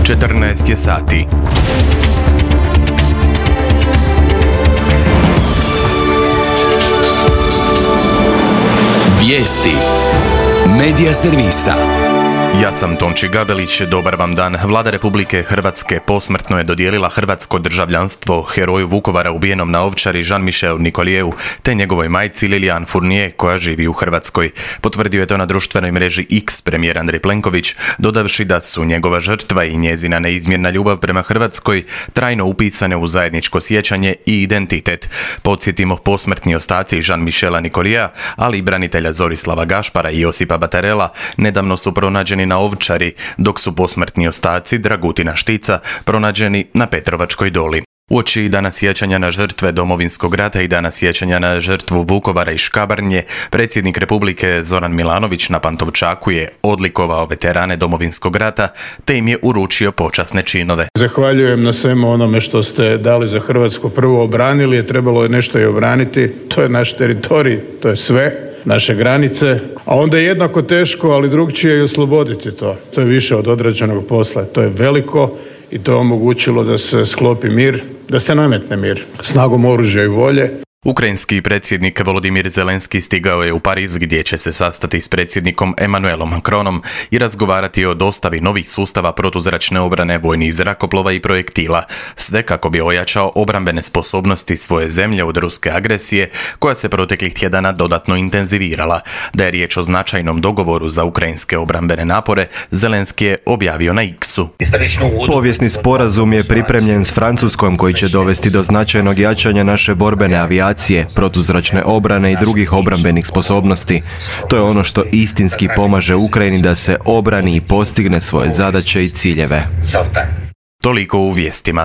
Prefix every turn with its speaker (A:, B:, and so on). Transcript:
A: 14 je sati.
B: Vijesti Medija servisa.
A: Ja sam Tonči Gabelić, dobar vam dan. Vlada Republike Hrvatske posmrtno je dodijelila hrvatsko državljanstvo heroju Vukovara ubijenom na Ovčari Jean-Michel Nicolieu te njegovoj majci Liliane Fournier koja živi u Hrvatskoj. Potvrdio je to na društvenoj mreži X premijer Andrej Plenković, dodavši da su njegova žrtva i njezina neizmjerna ljubav prema Hrvatskoj trajno upisane u zajedničko sjećanje i identitet. Podsjetimo, posmrtni ostaci Jean-Michela Nicoliea, ali i branitelja Zorislava Gašpara i Josipa Batarela nedavno su pronađeni na Ovčari, dok su posmrtni ostaci Dragutina Štica pronađeni na Petrovačkoj doli. Uoči dana sjećanja na žrtve Domovinskog rata i dana sjećanja na žrtvu Vukovara i Škabrnje, predsjednik Republike Zoran Milanović na Pantovčaku je odlikovao veterane Domovinskog rata te im je uručio počasne činove.
C: Zahvaljujem na svemu onome što ste dali za Hrvatsku. Prvo obranili je, trebalo je nešto i obraniti. To je naš teritorij, to je sve, naše granice. A onda je jednako teško, ali drugčije i osloboditi to. To je više od odrađenog posla. To je veliko i to je omogućilo da se sklopi mir, da se nametne mir snagom oružja i volje.
A: Ukrajinski predsjednik Volodimir Zelenski stigao je u Pariz gdje će se sastati s predsjednikom Emmanuelom Macronom i razgovarati o dostavi novih sustava protuzračne obrane, vojnih zrakoplova i projektila, sve kako bi ojačao obrambene sposobnosti svoje zemlje od ruske agresije koja se proteklih tjedana dodatno intenzivirala. Da je riječ o značajnom dogovoru za ukrajinske obrambene napore, Zelenski je objavio na X-u.
D: Povijesni sporazum je pripremljen s Francuskom koji će dovesti do značajnog jačanja naše borbene avijacije, protuzračne obrane i drugih obrambenih sposobnosti. To je ono što istinski pomaže Ukrajini da se obrani i postigne svoje zadaće i ciljeve.
A: Toliko u vijestima.